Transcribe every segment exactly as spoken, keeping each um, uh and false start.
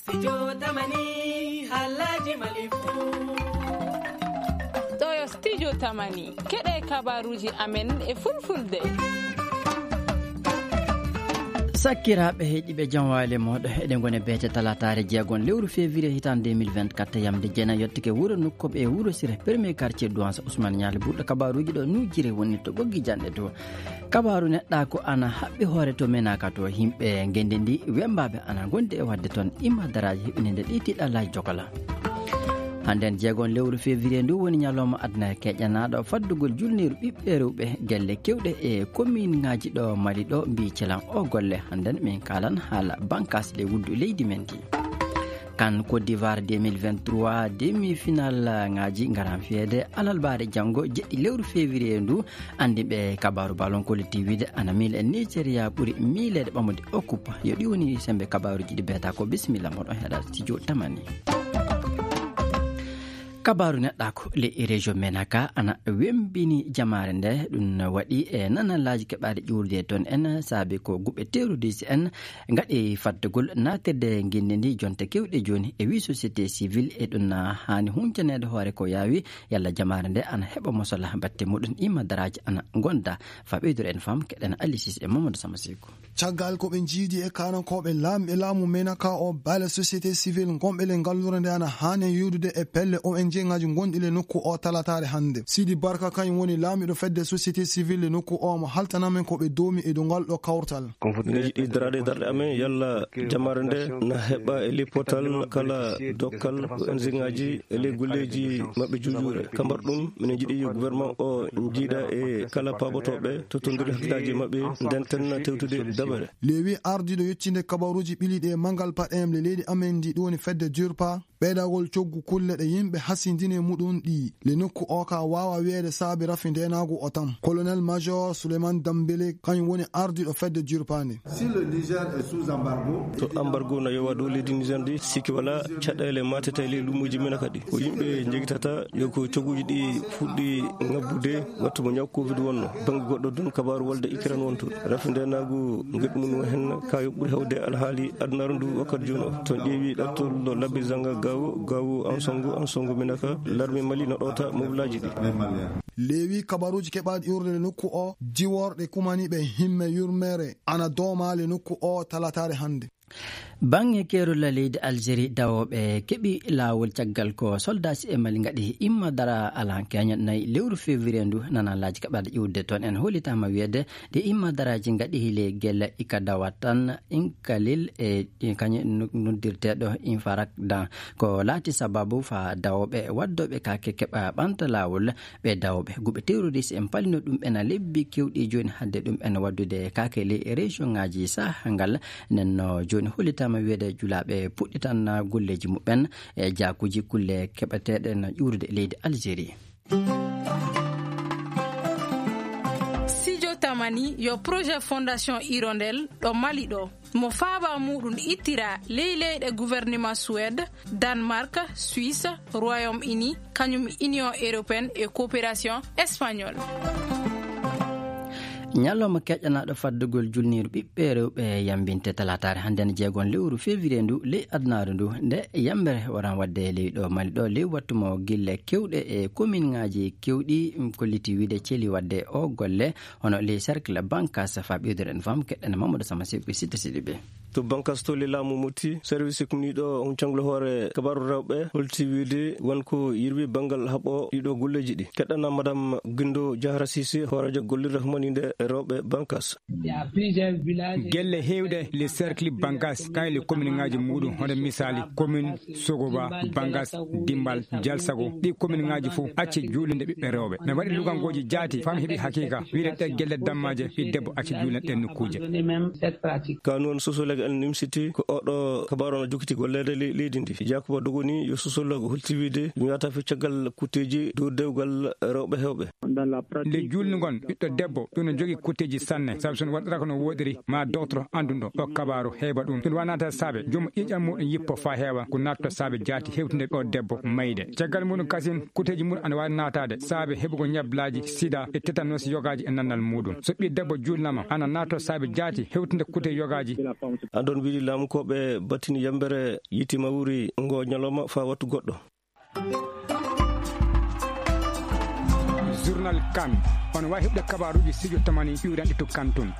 Studio Tamani, haalaaji Mali fuu. Ɗo yo Studio Tamani, keɗe kabaaruuji amen e fulfulde. Sakkiraaɓe heɗiiɓe, jam waali e mooɗon. Eɗen ngoni e beete talaataare jeegon lewru février hitaande deux mille vingt-quatre, yamde jeenayi yottake wuro Nokkoɓe e Wuro Sire, premier quartier Douance Ousmane Nialy Burɗo. Kabaaruuji ɗo nujjire woni to ɓoggi janɗe to. Kabaaru neɗɗaaku ana haɓɓi hoore to Menaka to, yimɓe ngenndi ndi wembaaɓe ana ngondi e waɗde toon imma daraaji heɓininde ɗi tiiɗallaaji jokala. Hannden jeegon lewru février ndu woni ñalawma aduna keƴanaaɗo faddugol julniiru ɓiɓɓe rewɓe gelle kewɗe e kominŋaaji ɗo Mali ɗo mbii celan o golle. Hannden min kaalan haala bankas le wuddu leydi men ndi. Kan Côte d'Ivoire deux mille vingt-trois, demi-finale ŋaaji ngaran fiyeede alarbaare janngo jeɗɗi lewru février ndu. Anndi ɓe kabaaru ballon collectif wiide ana miila e Nigeria ɓuri miileede ɓamude o coupe. Yo ɗi woni sembe kabaaruuji ɗi beeta ko. Bisimilla moɗon heɗa studio Tamani. Kabaaru neɗɗaaku le région Menaka ana wembini jamaare nde. Ɗum waɗi e nanallaaji keɓaaɗe ƴuurde toon en saabi ko guɓe terroriste en ngaɗi faddugol natirde ngenndi ndi jonte kewɗe jooni e wi société civile e ɗum na haani huncaneede hoore ko yaawi yalla jamaare nde ana heɓa mosala batte muɗum imma daraaji ana ngonda. Fa ɓeydude en fam keɗen Alisis e Mamadou Samba Seku. Caggal ko ɓe njiidi e kaanankooɓe laamɓe laamu Menaka o baale société civile ngonɓe le ngallure nde ana haani yuudude e pelle O N G ŋaaji ngonɗi le nokku o talataare hannde. Sidi Barka kañum woni laamiɗo fedde société civile le nokku o mo haltanamen ko ɓe doomi e dow ngal ɗo kawtal. Minen jiɗi daraade darɗe amen yalla jamaare nde na heɓa e ley potal kala dokkal O N G ŋaaji e ley golleeji maɓɓe juujuure. Ka mbar ɗum, minen jiɗi yo gouvernement o jiida e kala paabotooɓe, tottondiri hakkillaaji maɓɓe, ndenten tewtude dabare. Lewi ardiiɗo yettinde kabaruuji ɓiliiɗi e manngal paɗeem le leydi amen ndi ɗum woni fedde durpa, ɓeydagol coggu kulle ɗe yimɓe hasindini e muɗum ɗi le nokku o ka waawa wiyeede saabi rafi ndeenaagu o tan. Colonel Major Souleymane Dambélé kañum woni ardiiɗo fedde durpa nde. Si le Niger est sous embargo, to embargo na yowa dow leydi Niger ndi, sikki wala caɗeele matete e ley luumoji men kadi. Ko yimɓe jegitata yo ko cogguji ɗi fuɗɗi ngabbude wattu mo ñaw covid wonno. Bannge goɗɗo dun kabaaru wolde Ukraine wonto. Rafi ndeenaagu ngeɗu mum o hen ka yo ɓuri hewde alhaali adunaaru ndu wakkati jooni o. To ƴeewi ɗattol labbi zanga gawo, gawo ansongo, ansongo minaka, larme Mali no ɗowta moblaji ɗi. Leewi kabaruuji keɓaaɗi urde nokku o, diworɗe kumaniiɓe himme yurmeere ana doomaali nokku o talataare hannde. Baŋŋe keerol leydi Algérie, dawooɓe keɓi laawol caggal ko soldaaji e Mali ngaɗi imma dara alankeeño nayi lewru février ndu. Nanalaaji kaɓaaɗe ƴuwde toon en hollitaama wiyeede ɗi imma daraaji ngaɗi hile gelle ika dawat tan, inkalil e kañum noddirteeɗo infarak dan ko laati sababu fa dawooɓe waddooɓe kaake keɓa ɓanta laawol. Ɓe dawooɓe guɓe terroriste en palino ɗum ena lebbi kewɗi jooni hadde ɗum ena waddude kaake ley région ŋaaji saha ngal. Nden no jooni hollitaama wiyeede julaaɓe puɗɗitan golleeji muɓɓen e jaakuuji kulle keɓeteeɗe no ƴuurude e leydi Algérie. Sijo Tamani yo projet Fondation Hirondelle ɗo Mali ɗo. Mo faaba muɗum ittira ley leyɗe gouvernement Suède, Danemark, Suisse, Royaume-Uni, kañum Union européenne e coopération espagnole. Ñalawma keƴanaaɗo faddugol julniiru ɓiɓɓe rewɓe yambinte talaataare hannden jeegon lewru février ndu ley adunaaru ndu, nde yambere waran wadde ley ɗo Mali ɗo ley wattu mo gille kewɗe e komin ŋaaji kewɗi kolliti wiide celi wadde o golle. Hono ley cercle Bankas fa ɓeyduren fam keɗɗen Mamadou Sama Seku e Sitta Sidibe. To Bankas to le laamu Moti, service kuniiɗo on canglo hoore kabaaru rewɓe holti wiide won ko yirwi banngal haɓo ɗiɗo golleeji ɗi. Keɗɗana Madame Gindo Diahra Cissé, hooreejo gollirde humaninde e rewɓe Bankas. Gelle heewɗe le cercle Bankas, kay le commune ŋaaji muɗum, hono misali commune Sogoba, Bangas, Dimbal, Jalsago, ɗi commune ŋaaji fof acce juulinde ɓiɓɓe rewɓe. Mi waɗi lugangoji jaati, fam heɓi haqiqa, wiide ɗe gelle dammaje, ɓi debbo acce juulinde ɗen nokkuuje. Ka noon sosolege en nimsiti ko oɗo kabaaru no jokkiti golleede le-, leydi ndi. Yakuba Dogoni yo sosolege holti wiide ɗum yahata fi caggal kutteeji dow dewgal rewɓe heewɓe. Nde juulnugol ɓiɗɗo debbo, ɗum no Kutteeji sanne, sabu so ɗum waɗiraaka no woodiri, ma dogtoro annduɗo o kabaaru heɓa ɗum. Ɗum wanaata saabe, joom ƴiiƴan muɗum yippo faa heewa, ko naatto saabe jaati hewtinde o debbo mayde. Caggal muɗum kasin, kutteeji muɗum ana waawi naataade saabe heɓugol ñablaaji sida e tétanos yogaaji e nannal muɗum. So ɓii debbo juulnama, ana naatto saabe jaati hewtinde kutte yogaaji. Andon wiɗi laamu ko ɓe battini yambere yiiti mawri ngo ñalawma faa wattu goɗɗo. Journal Kan. On waawi heɓde kabaaruuji sijo tamani ƴuuranɗi to Kan tun.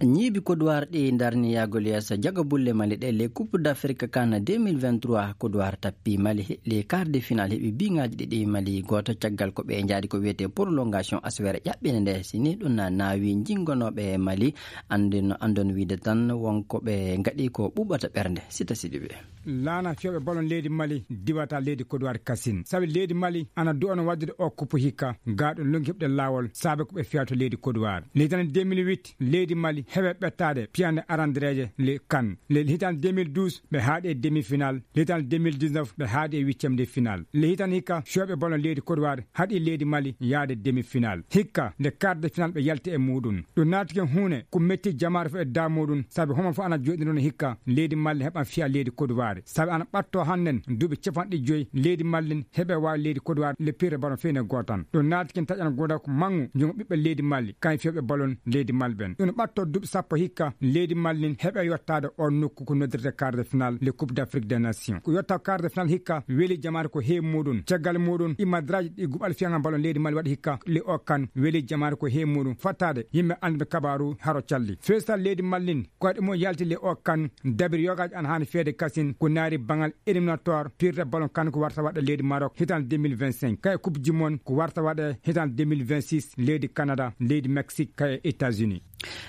Ñiibi Kodowar ɗi darni yahgol yeeso jago bulle Mali ɗe les Coupe d'Afrique Kan deux mille vingt-trois. Kodowar tappi Mali, les quarts de finale heɓi biŋaaji ɗiɗi Mali gooto, caggal ko ɓe njaadi ko wiyetee prolongation aswere ƴaɓɓinde nde. Si ni ɗum na naawi jingonooɓe Mali, anndin-, anndon wiide tan won ko ɓe ngaɗi ko ɓuɓata ɓernde. Sita Sidibe. Laana fiyooɓe ballon leydi Mali diwata leydi Kodowar kasin. Sabi leydi Mali ana du'ano waddude o kuppu hikka, gaa ɗum lonki heɓde laawol, saabe ko ɓe fiya to leydi Kodowar. Le hitaande deux mille huit, leydi Mali heɓe ɓettaade piyande arandereeje le Kan. Le hitaande deux mille douze, ɓe haaɗi e demi-final. Le hitaande deux mille dix-neuf, ɓe haaɗi e huitième de final. Le hitaande hikka, fiyooɓe ballon leydi Kodowar haɗi leydi Mali yaade demi-final. Hikka, nde quart de final ɓe yalti e muɗum. Ɗum naati ken huune ko metti jamaare fof e daa muɗum, sabi homo fof ana jooɗi noon hikka leydi Mali heɓan fiya leydi Kodowar. Sabi ana ɓatto hannden duuɓi capanɗe joyi leydi Mali heɓe waawi leydi Kodowar le pire ballon feyne gootan. Ɗum naati ken taƴan gooda ko manngu junngo ɓiɓɓe leydi Mali, kañ fiyooɓe ballon leydi Mali ɓen. Ɗum ɓatto duuɓi sappo hikka leydi Mali heɓe yottaade on nokku ko noddirte quart de final le Coupe d'Afrique des Nations. Ko yotta quart de final hikka weli jamaare ko heewi muɗum. Caggal muɗum, imadraji ɗi guɓal fiyaŋal ballon leydi Mali waɗi hikka le o Kan weli jamaare ko heewi muɗum. Fattaade yimɓe annduɓe kabaaru haro calli. Feesal leydi Mali koyɗe mum yalti le o Kan dabiri yogaaji ana haani feede kasin ko naari baŋal éliminatoire pirde ballon Kan ko warta waɗe leydi Maroc hitaande deux mille vingt-cinq. Kay Coupe du Monde ko warta waɗe hitaande deux mille vingt-six leydi Canada, leydi Mexique, kay États-Unis.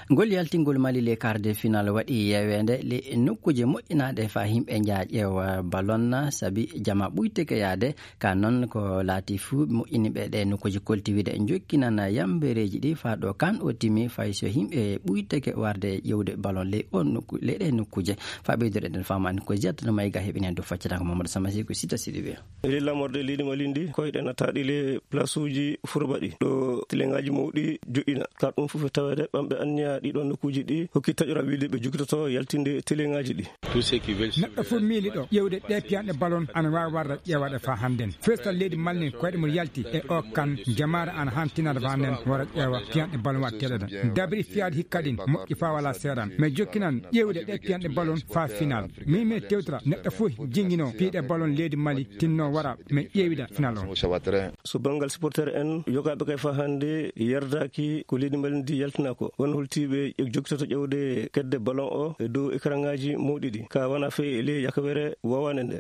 Ngol yaltingol Mali les quarts de finale waɗi yeeweende le nokkuuje moƴƴinaaɗe faa yimɓe njaa ƴeewa ballon, sabi jama ɓuyteke yaade. Ka noon ko laati fuu moƴƴiniiɓe ɗe nokkuuje kolti wiide jokkinan yambereeji ɗi faa ɗo Kan o timi, fay so yimɓe ɓuyteke warde ƴeewde ballon ley on nokku-, ley ɗe nokkuuje. Faa ɓeydude ɗen faamaani ko jettano Mayga heɓi heen dow faccitaango Mamadou Samasi ko Sita Sidibe. Ley laamorde leydi Mali ndi, koyɗe nataaɗi le plasuuji furbaɗi ɗo teleŋaaji mawɗi joɗɗina. Ka ɗum fof e taweede ɓamɓe anniya ɗiɗon nokkuuji ɗi hokki taƴora wiide ɓe jogitoto yaltinde teleŋaaji ɗi. Neɗɗo fof miiliɗo ƴeewde ɗe piyanɗe ballon ana waawi warde ƴeewaɗe faa hannden. Feesal leydi Mali koyɗe mum yalti e o Kan, jamaare ana haani tinaade faa hannden wara ƴeewa piyanɗe ballon waɗteeɗe ɗen. Dabiri fiyaade hikka ɗin moƴƴi faa wala seeɗan. Mais jokkinan ƴeewde ɗe piyanɗe ballon faa final. Min mi tewtira neɗɗo fof jingino piiɗe ballon leydi Mali tinno wara mi ƴeewida final on. So banngal supporter en, yogaaɓe kay faa hannde yerdaaki ko leydi Mali ndi yaltina ko. Won holtiiɓe e jokkitoto ƴeewde kedde ballon o e dow écranŋaaji mawɗi ɗi. Ka wona fey e ley yakawere wawaande nde.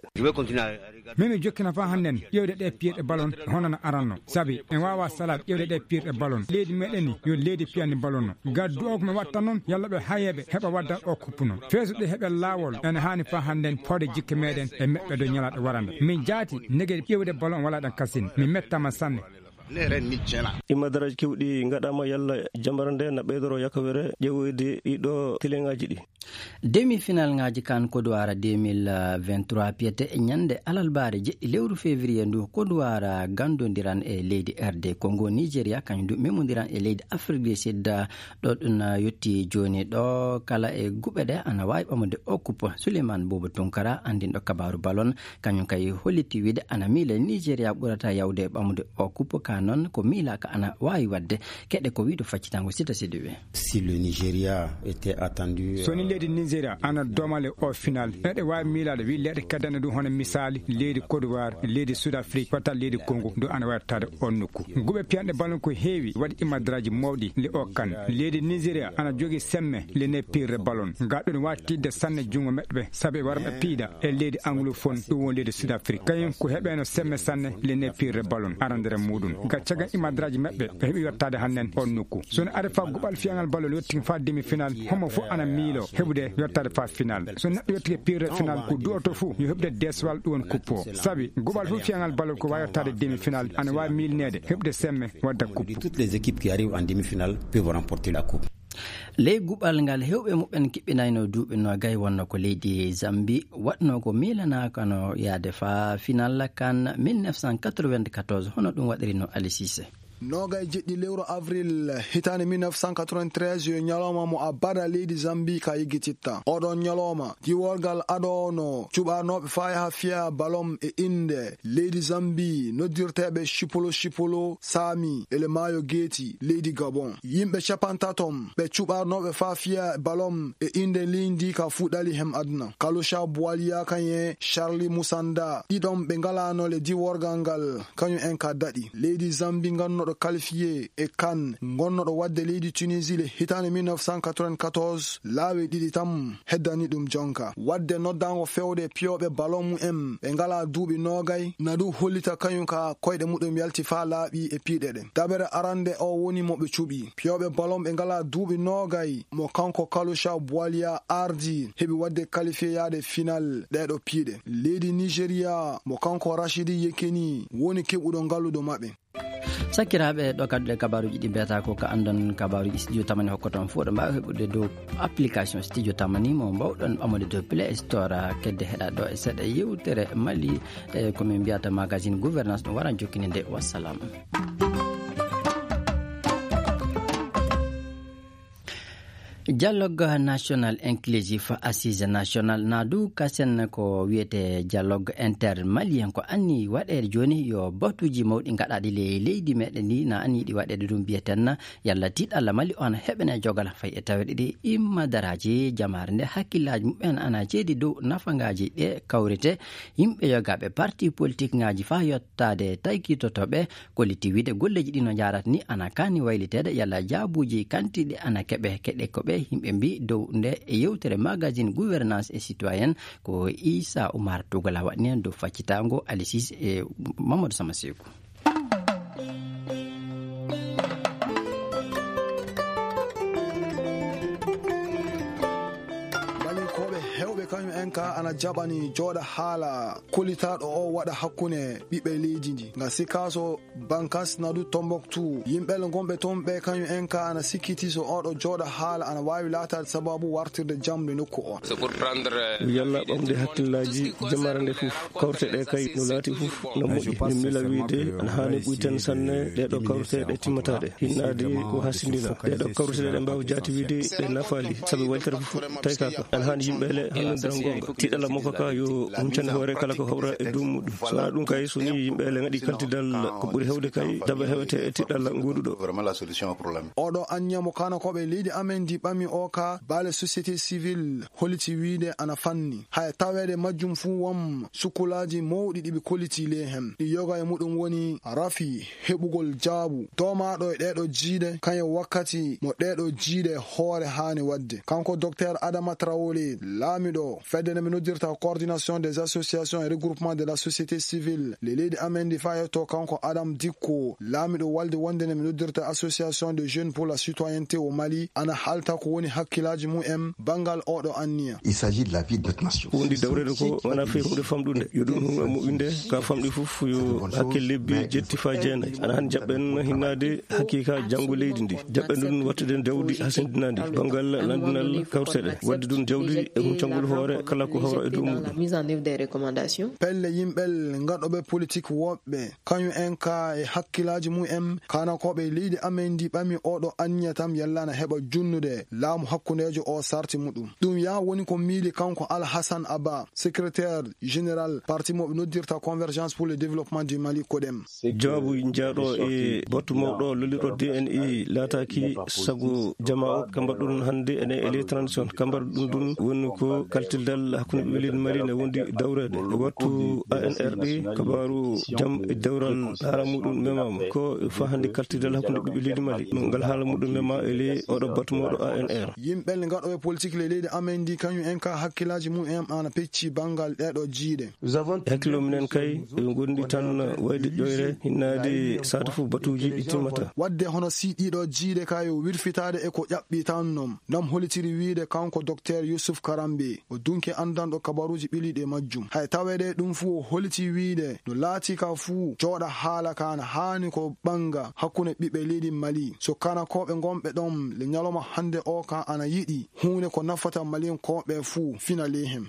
Min mi jokkina faa hannden ƴeewde ɗe piirɗe ballon hono no aranno. Sabi en waawa salaade ƴeewde ɗe piirɗe ballon. Leydi meɗen ni yo leydi piyani ballon no. Gaddu o ko mi watta noon, yalla ɓe hayeeɓe heɓa waddan o kuppu noon. Feesude heɓe laawol, ene haani faa hannden fawde jikke meɗen e meɓɓe dow ñalaaɗe warande. Min jaati, nege ƴeewde ballon wala ɗan kasin. Mi mettama sanne. Imma daraaji kewɗi ngaɗaama yalla jambara nde na ɓeydoro yakawere ƴeewoyde ɗiɗo teleŋaaji ɗi. Demi-finalŋaaji Kan Kodowara deux mille vingt-trois piyete e ñande alalbaare jeɗɗi lewru février ndu. Kodowara gandondiran e leydi R D Congo, Nigeria kañum du memondiran e leydi Afrique du Sud. Ɗo ɗum yetti jooni ɗo kala e guɓe ɗe ana waawi ɓamude o kuppo. Souleymane Bobo Tunkara, andinɗo kabaaru ballon, kañum kay holliti wiide ana miila Nigeria ɓurata yawde ɓamude o kuppo, ka noon ko miilaaka ana waawi waɗde. Keɗe ko wiiɗo faccitango Sita Sidibe. Si le Nigeria était attendu, so ni leydi Nigeria ana domale o final, eɗe waawi miilaade wi leyɗe keddanɗe ɗum hono misaali leydi Côte d'Ivoire, leydi Sud Afrique, wata leydi Congo, ɗum ana waawi taade on nokku. Guɓe piyanɗe ballon ko heewi waɗi imadraji mawɗi le o Kan. Leydi Nigeria ana jogii semme le ne pirre ballon. Nga ɗum wawi tiiɗde sanne junngo meɗɓe, sabi wara ɓe piiɗa e leydi anglophone, ɗum woni leydi Sud Afrique. Kañum ko heɓeno semme sanne le ne pirre ballon arandere muɗum. Nga caggal imadraji meɗɓe, ɓe heɓi yottaade hannden on nokku. So no ari fa guɓal fiyangal ballon yottin fa demi final, homo fof ana miilo heɓude yottaade fa final. So neɗɗo yottike pirre final, ko du'oto fof yo heɓude deswal ɗum woni kuppo. Sabi guɓal fof fiyangal ballon ko wawi yottaade demi final, ana wawi miilineede heɓude semme wadda kuppo. Toutes les équipes qui arrivent en demi-finale peuvent remporter la coupe. Ley guɓal ngal, heewɓe muɓɓen kiɓɓinayno duuɓi noogay, wonno ko leydi Zambie waɗno ko miilanaaka no yaade faa final Kan mille neuf cent quatre-vingt-quatorze, hono ɗum waɗirino Ali Cissé. Noogay jeɗɗi lewru avril hitaande mille neuf cent quatre-vingt-treize yo ñalooma mo abada leydi Zambi ka yeggititta. Oɗon ñalooma, diworgal adoono cuɓarnooɓe faa yaha fiya balon e innde leydi Zambi noddirteeɓe Chipolo Chipolo Saami e le maayo geeti leydi Gabon. Yimɓe capantatom ɓe cuɓarnooɓe faa fiya balon e innde leydi ka fuɗɗali hem aduna. Kalusha Buwaliya kañe Charlie Musanda, ɗiɗon ɓe ngalaano le diworgal ngal, kañum en ka daɗi. Leydi Zambi ngannoɗo qualifié e kan ngonnoɗo wadde leydi Tunisie le hitaande mille neuf cent quatre-vingt-quatorze, laawi ɗiɗi tan heddani ɗum jonka. Wadde noddaango fewde piyooɓe balon mu en ɓe ngalaa duuɓi noogay, na ɗum hollita kañum ka koyɗe muɗum yalti faa laaɓi e piiɗe ɗen. Dabere arande o woni mo ɓe cuɓi. Piyooɓe balon ɓe ngalaa duuɓi noogay mo kanko Kalusha Buwaliya ardi heɓi wadde qualifié yaade final ɗeeɗo piiɗe. Leydi Nigeria mo kanko Rashidi Yekini woni keɓuɗo ngaluɗo maɓɓe. Sakiraaɓe, ɗo kadduɗe kabaaruuji ɗi mbiyata ko ka anndon kabaaruuji Studio Tamani hokkoton fof, ɗo mbaawa heɓude dow application Studio Tamani mo mbawɗon ɓamude dow Play Store, kedde heɗa ɗo e seeɗa yewtere Mali, e ko min mbiyata magazine gouvernance, ɗum waran jokkininde. Wassalam. Dialogue national inclusif, assise national, na du kasen ko wiyete dialogue intermalien, ko anni waɗeede jooni yo batuuji mawɗi gaɗaaɗi le leydi meɗen ndi, na anni ɗi waɗeede ɗum, mbiyeten yalla tiiɗalla Mali on heɓene jogal fay e taweede ɗi imma daraaji jamaare nde hakkillaaji mumen ana ceedi dow nafangaaji ɗe kawrite. Yimɓe yogaaɓe parti politique ngaaji faa yottaade taykitotoɓe Kolliti wiide golleeji ɗi no njaarata ni ana kaani wayliteede yalla jaabuuji kantiiɗi ana keɓe keɗe ko ɓe yimɓe mbi dow nde e yewtere magazine gouvernance et citoyenne ko Issa Oumar Tougala waɗni heen dow faccitaango Alisis e Mamadou Sama Seeku. Balinkooɓe heewɓe kañum en ka ana jaɓani jooɗa haala kollitaaɗo o waɗa hakkunde ɓiɓɓe leydi ndi. Nga sikaaso Bankas Nadu Tombouctou, yimɓe ngonɓe toon ɓe kañum en ka ana sikkiti so oɗo jooɗa haala ana waawi laataade sababu wartirde jamɗe nokku o. Yalla ɓamde hakkillaaji jamaare nde fof, kawrite ɗe kay no laati fof no moƴƴi. Min mila wiide ana haani ɓuyten sanne ɗeɗo kawrite ɗe timmataɗe. Hinnaade ko hasindina. Ɗeɗo kawrite ɗe mbaawa jaati wiide ɗe nafaali. Sabi wayltere fof taykaka. Ana haani yimɓe le hannodira goonga. Tiiɗalla makko ka yo huncande hoore kala ko hawra e dow muɗum. So wonaa ɗum kay, so ni yimɓe le ngaɗi kaltidal, ko ɓuri hewde kay, dabar hewete e tiiɗalla ngonduɗo. Oɗo anniya mo kaanakooɓe leydi amen ndi ɓami o ka baale société civile holliti wiide ana fanni. Haya taweede majjum fuu won sukkulaaji mawɗi ɗi ɓe kolliti ley hen. Ɗi yoga e muɗum woni rafi heɓugol jaabu doomaaɗo e ɗeeɗo jiiɗe, kañum wakkati mo ɗeeɗo jiiɗe hoore haani waɗde. Kanko Docteur Adama Traoré, laamiɗo fedde nde ɓe noddirta Coordination des Associations et Regroupements de la Société Civile, le leydi amen ndi faa yetto kanko Adam Dicko, laamiɗo walde wonde nde ɓe noddirta Association des Jeunes pour la Citoyenneté au Mali, ana halta ko woni hakkillaaji mum en banngal oɗo anniya. Il s'agit de la vie de notre nation. Ko wondi dawreede ko wonaa fii huunde famɗunde. Yo ɗum huunde moƴƴunde, ka famɗi fof yo hakke lebbi jetti faa jeenayi. Ana han jaɓɓen hinnaade hakiika janngo leydi ndi. Jaɓɓen ɗum waɗtude jawdi hasindinaandi banngal lanndinal kawriteɗe. Waɗde ɗum jawdi e huncangol hoore kala ko hawra e dow muɗum. Pelle yimɓe ngaɗooɓe politik woɓɓe, kañum en ka e hakkillaaji mum en, kaanakooɓe leydi amen ndi ɓami oɗo anniya tan yalla na heɓa junnude laamu hakkundeejo o sarti muɗum. Ɗum yaa woni ko miili kanko Alhassane Abba, secrétaire général parti mo ɓe noddirta Convergence pour le Développement du Mali, CODEM. Jawaabu jaaɗo e batu mawɗo lolirɗo D N I laataaki sago jamaa o. Kambar ɗum hannde ene e les transition. Kambar ɗum ɗum woni ko kaltidal hakkunde ɓiɓɓe leydi Mali ne wondi dawreede. E wattu A N R ɗi kabaaru jam e dewral haala muɗum memaama. Ko fa hannde kaltidal hakkunde ɓiɓɓe leydi Mali. Ngal haala muɗum mema e ley oɗo batu mawɗo A N R. Yimɓe ngaɗooɓe politik le leydi amen ndi kañum en ka hakkillaaji mum en ana pecci banngal ɗeeɗo jiiɗe. E hakkillo minen kay, ɓe ngondi tan wayde ƴoyre, hinnaade saatu fof batuuji ɗi timmata. Wadde hono si ɗiɗo jiiɗe ka yo wirfitaade e ko ƴaɓɓi tan non. Nam holitiri wiide kanko Docteur Youssouf Karambe, o dunke anndanɗo kabaruuji ɓiliiɗi e majjum. Hay taweede ɗum fuu o holiti wiide no laatii ka fuu jooɗa haala ka na haani ko ɓannga hakkunde ɓiɓɓe leydi Mali. So kanakooɓe ngonɓe ɗon le ñalawma hannde o ka ana yiɗi huunde ko nafata Maliyankooɓe fuu fina ley hen.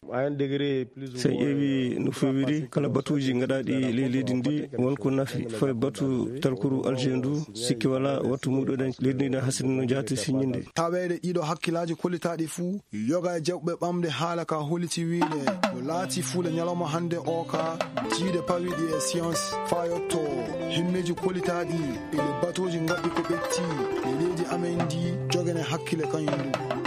Si en ƴeewi no fewiri kala batuuji gaɗaaɗi ley leydi ndi, won ko nafi fawi batu talkuru Alger ndu. Sikki wala wattu muɗoɗen leydi ndi na hasini no jaati siññinde. Taweede ɗiɗo hakkilaaji kollitaaɗi fuu yoga e jaɓɓe ɓamde haala ka holiti wiide no laati fuu le ñalawma hannde o ka jiide pawiɗi e science faa yotto himmeeji kollitaaɗi e le batuuji ngaɗɗi ko ɓetti e leydi amen ndi. Jogene hakkile kañum ndu.